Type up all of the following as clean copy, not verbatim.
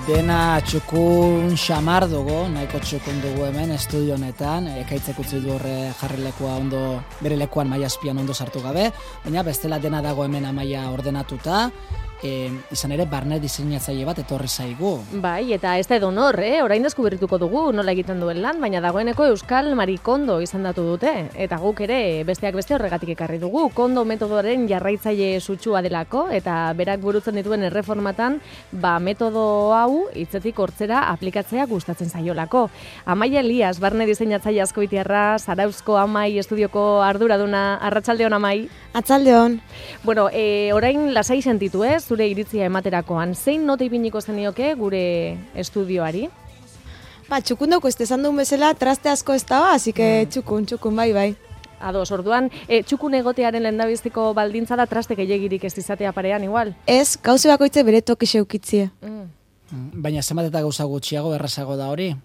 Dena txukun xamar dugu, nahiko txukun dugu hemen estudio honetan, ekaitzek utzi du horre jarri lekua ondo, bere lekuan maila azpian ondo sartu gabe, baina bestela dena dago hemen amaia ordenatuta, izan ere barne diseinatzaile bat etorri zaigu. Bai, eta ez da edonor, orain deskubrituko dugu nola egiten duen lan, baina dagoeneko Euskal Marikondo izendatu dute, eta guk ere besteak beste horregatik ekarri dugu, kondo metodoaren jarraitzaile sutsua delako, eta berak burutzen dituen erreformatan, metodo hau hitzetik hortzera aplikatzea gustatzen zaiolako. Amaia Elias, barne diseinatzaile azkoitiarra, Zarauzko Amai estudioko arduraduna, arratsaldeon Amai. Arratsaldeon. Bueno, orain lasai sentitu zure iritzia ematerakoan. Zein nota ipiniko zenioke gure estudioari? Txukun dauko ez esan duen bezala, traste asko ez da, así que txukun, bai. Ados, orduan, txukun egotearen lehendabiziko baldintza da traste gehiagirik ez izatea parean igual? Ez, gauze bakoitze bere toki zeukitzie. Baina zenbat eta gauza gutxiago errazago da hori?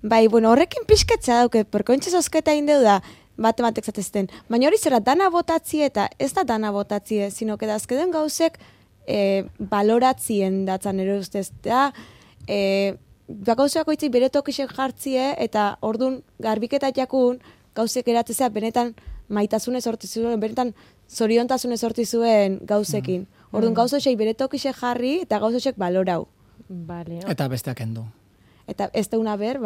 Bai, horrekin pixkatza dauke, perkointxe zozketa indeu da, matematek zatezten. Baina hori zera dana botatzie eta ez da dana botatzie, sino que da azkeden gauzek baloratzien datzan ere ustez. Gauze bakoitzik bere tokixek jartzie eta ordun garbiketa jakun gauzek eratzea benetan maitasune sortu zuen, benetan zoriontasune sortu zuen gauzekin. Ordun gauzek bere tokixek jarri eta gauzek balorau. Vale. Eta besteak endu. Eta ez deuna ber,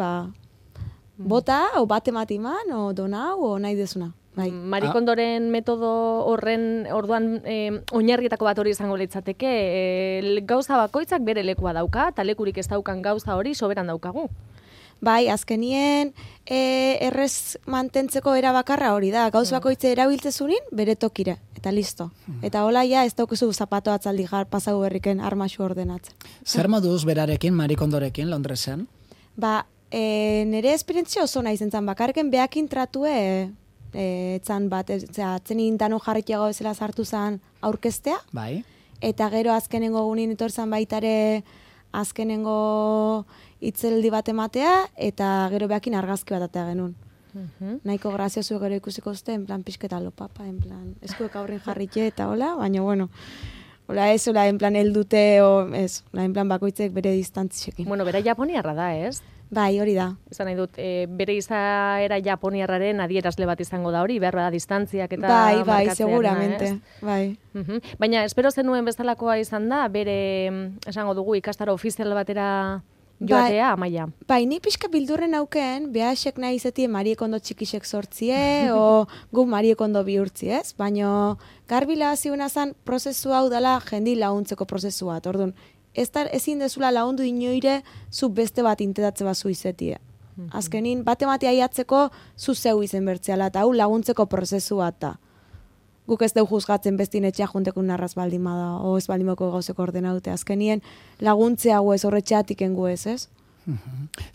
bota, o bate matiman, o donau, o nahi dezuna. Bai. Marikondoren metodo horren orduan oinarrietako bat hori izango litzateke, gauza bakoitzak bere lekua dauka, eta lekurik ez daukan gauza hori soberan daukagu. Bai, azkenien errez mantentzeko era bakarra hori da, gauz bakoitze erabiltzezunin bere tokira, eta listo. Eta hola ja ez daukuzu zapato atzaldi pasagu berriken armaxu ordenatzen. Zer moduz berarekin, Marikondorekin, Londresen? Nire esperientzia oso nahi zentzan, bakarken behakin tratue etzan bat, atzenin dano jarritiago bezala sartu zen aurkeztea. Bai. Eta gero azkenengo gunin etorzan baitare azkenengo itzeldi bat ematea, eta gero behakin argazki bat atea genuen. Nahiko graziosu gero ikusiko zute, en plan pixketa lopapa, en plan eskuek aurrin jarritxe eta hola, baina bueno, hola ez, hola en plan eldute, ez, hola en plan bakoitzek bere distantziekin. Bueno, bera japoniarra da, ez? Bai, hori da. Esan nahi dut, bere izaera japoniarraren adierazle bat izango da hori, behar da distantziak eta markatzeak. Bai, seguramente, bai. Baina, espero zenuen bezalakoa izan da, bere, esango dugu, ikastaro ofizial batera joatea, Amaia. Bai, ni pixka bildurren auken, behasek nahi izatie Mariekondo txikisek sortzie, o gu Mariekondo bihurtzi, ez? Baina, garbila ziuna zan, prozesu hau dela jendi laguntzeko prozesu bat, orduan, ezin dezula lagundu inoire zu beste bat intetatze bat zu izetie. Azkenin, bate aiatzeko zu zeu izen bertzeala, eta hau laguntzeko prozesu bat da. Guk ez deu juzgatzen bestin etxea juntekun narraz baldima da, o ez baldimako gauzeko ordenaute. Azkenien laguntzea gu ez, horretxeatik engu ez?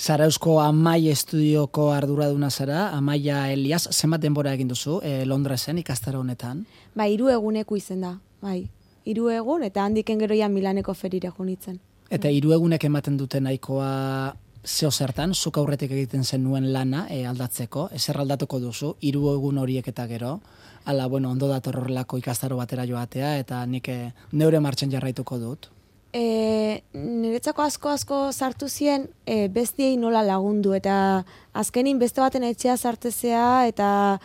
Zarauzko Amai estudioko arduraduna zara, Amaia Elias, zenbat denbora egin duzu Londresen ikastaro honetan? 3 eguneko izen da, bai. 3 egun, eta handiken gero ja Milaneko ferire junitzen. Eta 3 egunek ematen dute nahikoa zeo zertan, zuk aurretik egiten zenuen lana aldatzeko, ezer aldatuko duzu, 3 egun horiek eta gero, ala, bueno, ondo dator horrelako ikastaro batera joatea, eta nik neure martxan jarraituko dut. Niretzako asko sartu zien bestiei nola lagundu, eta azkenin beste baten etxea sartezea, eta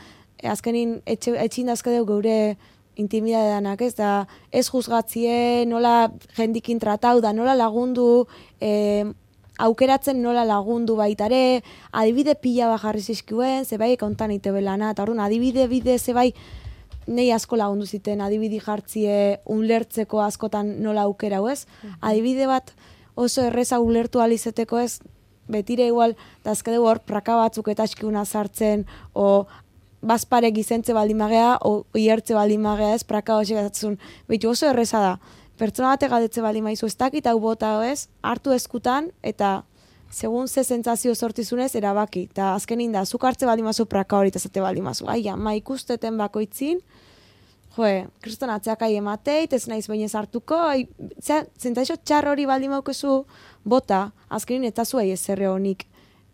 azkenin etxin dazkadeu geure intimidadeanak, ez da, ez juzgatzie, nola jendikin tratau da, nola lagundu, aukeratzen nola lagundu baitare, adibide pila bat jarri zizkuen, zebai kontan ite belana, eta orduan adibide bide zebai nei asko lagundu ziten, adibide jartzie ulertzeko askotan nola aukerau, ez? Adibide bat oso erreza ulertu alizeteko, ez? Betire igual, dazkadeu hor praka batzuk eta eskiuna sartzen, o bazpare gizentze baldimagea, o iertze baldimagea, ez, praka hori gazatzen. Behitu oso erreza da. Pertsona bate gadetze baldimaizu, ez dakit hau bota, ez, hartu eskutan, eta segun ze sentsazio sortizunez, erabaki. Eta azkenin da, zuk hartze baldimazu praka hori, eta zate baldimazu. Ai, ama ikusteten bakoitzin, kriston atzeakai emateit, ez naiz bainez hartuko, zentzaizo txar hori baldimaukezu bota, azkenin eta zuei ezerre honik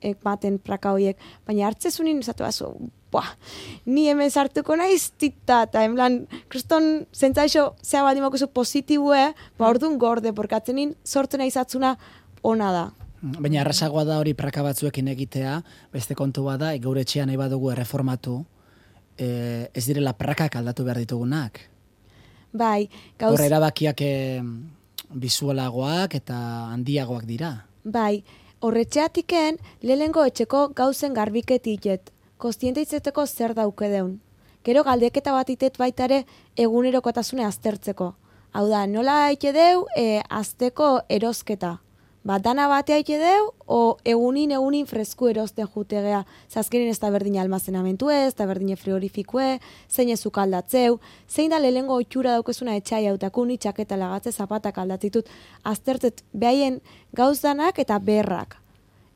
ematen praka horiek. Baina hartzezunin, zatu bazu, ni hemen sartuko naiz tita, eta en plan, kriston zentzaixo zea baldimako zu positibue, orduan gorde, porque atzenin sortu nahi zatzuna ona da. Baina errazagoa da hori praka batzuekin egitea, beste kontu bada, gaur etxean nahi badugu erreformatu, ez direla prakak aldatu behar ditugunak. Bai, Horre erabakiak bizualagoak eta handiagoak dira. Bai, horretxeatiken lehengo etxeko gauzen garbiketiket, kostiente izeteko zer dauke deun. Gero galdeketa bat itet baitare egunerokotasune aztertzeko. Hau da, nola haite deu, azteko erosketa. Dana batea haite deu, o egunin fresku erosten jutegea. Zazkenin ez da berdina almazenamentu ez da berdine frigorifikue, zein ezuk aldatzeu, zein da lehengo otxura daukezuna etxai hautakun, itxaketa lagatze zapatak aldatzitut, aztertzet behaien gauzdanak eta berrak.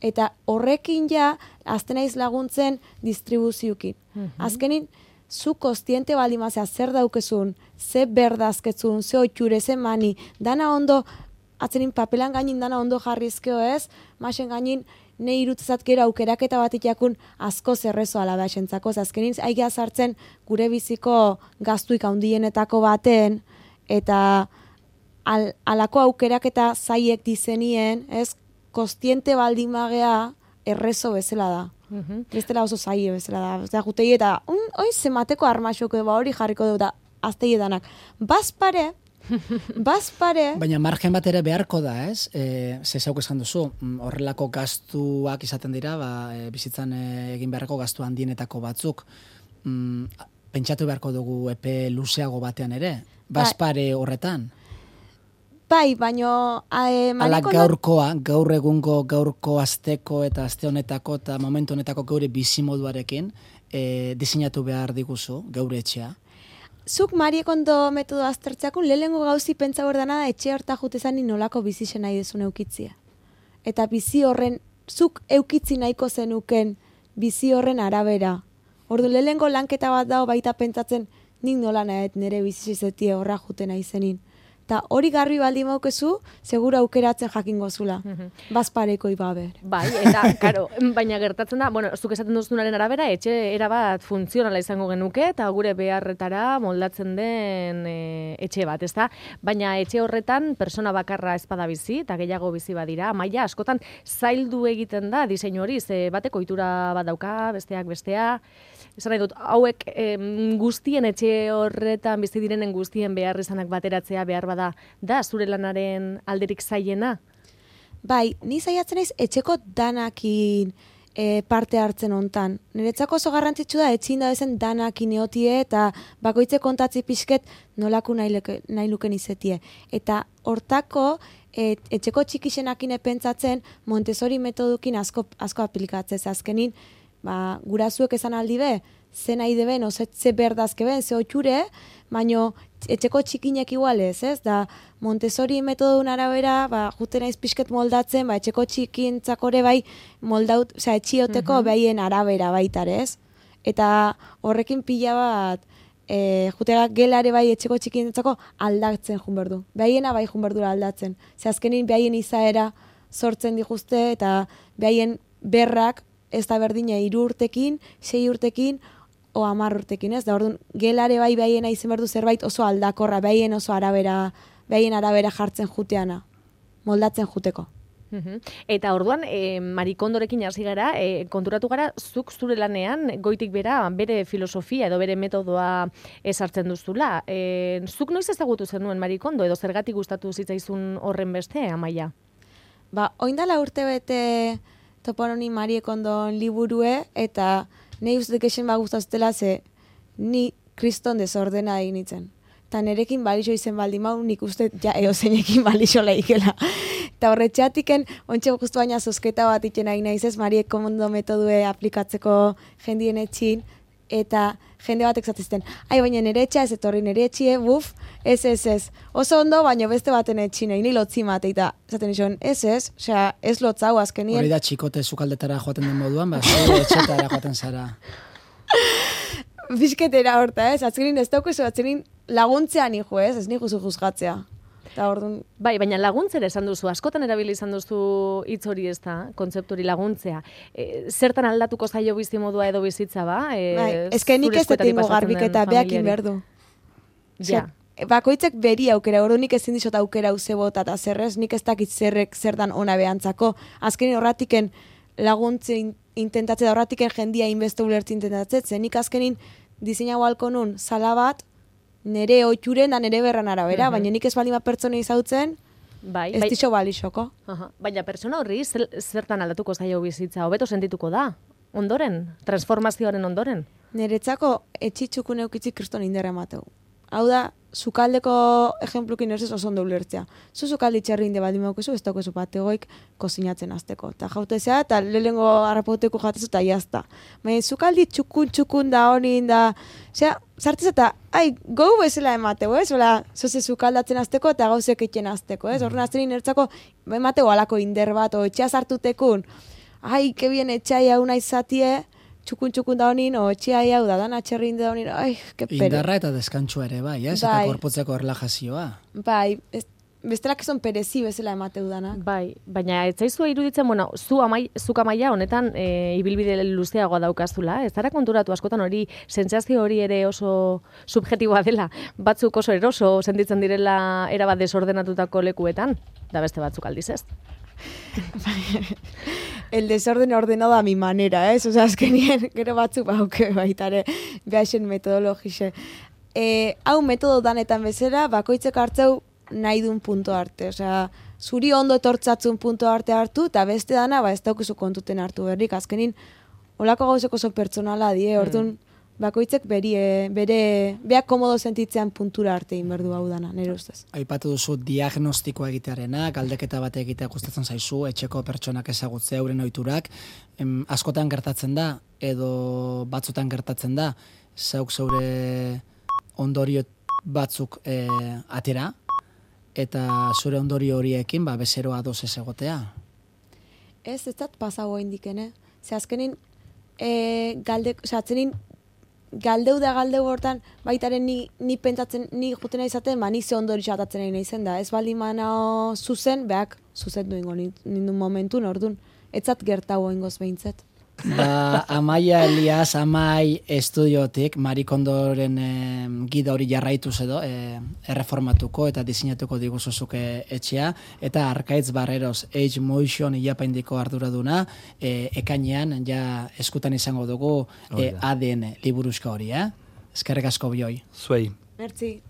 Eta horrekin ja, aztenaiz laguntzen distribuziukin. Azkenin, zu kostiente baldimazea zer daukezun, ze berdazketzun, ze otxure, ze mani, dana ondo, atzenin papelan gainin dana ondo jarrizkeo ez, masen gainin ne irutzezat gero aukeraketa bat itakun asko zerrezo alaba esentzako, azkenin aigia sartzen gure biziko gaztuik handienetako baten, eta alako aukeraketa zaiek dizenien, ez, kostiente baldimagea errezo bezala da. Bestela oso zaie bezala da. Osea, jutei eta, oi, zemateko armaxoko hori jarriko dut da, aztei edanak. Bazpare, Baina margen bat ere beharko da, ez? Ze zauk esan duzu, horrelako gastuak izaten dira, bizitzan egin beharreko gastu handienetako batzuk. Pentsatu beharko dugu epe luzeago batean ere, bazpare horretan. Bai, baino... Ala gaur egungo, gaurko asteko eta aste honetako eta momentu honetako geure bizimoduarekin diseinatu behar diguzu, geure etxea. Zuk Mariekondo metodo aztertzeakun lehengo gauzi pentsa bordana da etxe horta jutezan nolako bizisen nahi dezun eukitzia. Eta bizi horren, zuk eukitzi nahiko zenuken bizi horren arabera. Ordu lehengo lanketa bat dago baita pentsatzen nik nola nahet nire bizizetie horra juten aizenin. Eta hori garbi baldi maukezu, segura aukeratzen jakingo zula. Bazpareko ibaber. Bai, eta, karo, baina gertatzen da, bueno, zuk esaten duzunaren arabera, etxe erabat funtzionala izango genuke, eta gure beharretara moldatzen den etxe bat, ezta? Baina etxe horretan, persona bakarra ezpada bizi, eta gehiago bizi badira, maila askotan zaildu egiten da diseinu hori, ze bateko ohitura bat dauka, besteak bestea, esan nahi dut, hauek guztien etxe horretan bizi direnen guztien behar izanak bateratzea behar bada, da zure lanaren alderik zailena? Bai, ni saiatzen naiz etxeko danakin parte hartzen hontan. Niretzako oso garrantzitsu da etxin da bezen danakin eotie eta bakoitze kontatzi pixket nolako nahi luken izetie. Eta hortako etxeko txikixenakin pentsatzen Montessori metodukin asko aplikatzez. Azkenin, gurazuek esan aldi be, ze nahi deben, ze berdazke ben, ze otxure, baino etxeko txikinek igualez, ez? Da Montessori metodun arabera, juten naiz pixket moldatzen, etxeko txikintzakore bai moldaut, etxioteko behien arabera baitare, ez? Eta horrekin pila bat, jutega gelare bai etxeko txikintzako aldatzen jun berdu. Behiena bai jun berdura aldatzen. Ze azkenin behien izaera sortzen dijuzte eta behien berrak ez da berdina 3 urtekin, 6 urtekin, o 10 urtekin, ez? Da orduan, gelare bai behiena izen berdu zerbait oso aldakorra, behien oso arabera jartzen juteana, moldatzen juteko. Eta orduan, Marikondorekin hasi gara, konturatu gara, zuk zure lanean, goitik bera, bere filosofia edo bere metodoa esartzen duzula. Zuk noiz ezagutu zenuen Marikondo, edo zergatik gustatu zitzaizun horren beste, Amaia? Oindala urte bete topononi Mariekondon liburue, eta nahi uste kexen gustaztela ze ni kriston desordena egin nintzen. Eta nerekin balixo izen baldi mau, nik uste ja eozeinekin balixo laikela. Eta horretxeatiken, ontxe justu baina zozketa bat iten nahi nahiz ez, Mariekondo metodue aplikatzeko jendien etxin, eta jende batek zatizten, baina nire etxea ez etorri nire etxie, ez. Oso ondo, baina beste baten etxin, ni lotzi mate, eta zaten izan, ez, osea, ez lotzau azkenien. Hori da txikote zukaldetara joaten den moduan, zure etxetara joaten zara. Bizketera horta, ez, atzerin ez daukezu, atzerin laguntzean hijo, ez nigu zu juzgatzea. Orduan... Bai, baina laguntzera esan duzu, askotan erabili izan duzu hitz hori ez da, kontzeptu hori laguntzea. Zertan aldatuko zaio bizi modua edo bizitza ba? Bai, ezke nik ez detingo garbiketa behakin berdu. Ja. bakoitzek beri aukera, ordu nik ezin dizot aukera uzebota eta zerrez, nik ez dakit zer dan ona behantzako. Azkenin horratiken laguntzen intentatze da, horratiken jendia inbeste ulertzi intentatze, zen nik azkenin diseinago halko nun sala bat, nire oituren da nire berran arabera, baina nik ez baldin bat pertsona izautzen, ez dixo balixoko. Baina pertsona horri zertan aldatuko zaio bizitza, hobeto sentituko da, ondoren, transformazioaren ondoren? Niretzako etxitxukun eukitzik kriston inderra emateu. Hau da, sukaldeko ejemplukin ez oso ondo ulertzea. Sukaldi txerri inde baldin maukezu, ez daukezu bategoik kozinatzen azteko. Ta jautezea, eta lehengo harrapauteko jatezu, eta jazta. Baina sukaldi txukun da honin da, sartez eta, gau bezala emateu, ez? Ola, zoze sukaldatzen azteko eta gauzek etxen azteko, ez? Horren azten inertzako, emateu alako inder bat, o etxea sartutekun, kebien etxai hau nahi zatie, txukun da honin, o etxea hau da, dan atxerri inde da honin, ke pere. Indarra eta deskantzua ere, bai, ez? Eta korpotzeko erlajazioa. Bai, bestelak eson perezi bezala emateu danak. Bai, baina ez zaizua iruditzen, bueno, zuk Amaia honetan ibilbide luzeagoa daukazula, ez zara konturatu askotan hori, sentsazio hori ere oso subjetiboa dela, batzuk oso eroso sentitzen direla erabat desordenatutako lekuetan, da beste batzuk aldiz ez? El desorden ordenado a mi manera, ¿eh? Osa, azkenien, gero batzuk bauke baitare, behaixen metodologixe. Hau metodo danetan bezala, bakoitzek hartzeu nahi duen punto arte. Osea, zuri ondo etortzatzun punto arte hartu, eta beste dana, ez daukizu kontuten hartu berrik. Azkenin, olako gauzeko oso pertsonala die, orduan, bakoitzek beak komodo sentitzean puntura arte inberdu hau dana, nire ustez. Aipatu duzu diagnostikoa egitearena, galdeketa bat egitea gustatzen zaizu, etxeko pertsonak ezagutzea euren ohiturak, askotan gertatzen da, edo batzutan gertatzen da, zeuk zeure ondorio batzuk atera, eta zure ondorio horiekin bezeroa ados ez egotea. Ez dat pasago indikene. Ze azkenin, atzenin, galdeu hortan, baitaren ni pentsatzen, ni jutena izaten, ni ze ondori xatatzen egin izen da. Ez baldin manao zuzen, beak zuzen duingo nindun momentun, orduan, etzat gertau ingoz behintzet. Amaia Elias, Amai estudiotik, Marie Kondoren gida hori jarraituz edo, erreformatuko eta diseinatuko diguzuzuke etxea, eta Arkaitz Barreros Age Motion ilapaindiko arduraduna, ekainean ja eskutan izango dugu ADN liburuska hori, Eskerrik asko bioi. Zuei. Merci.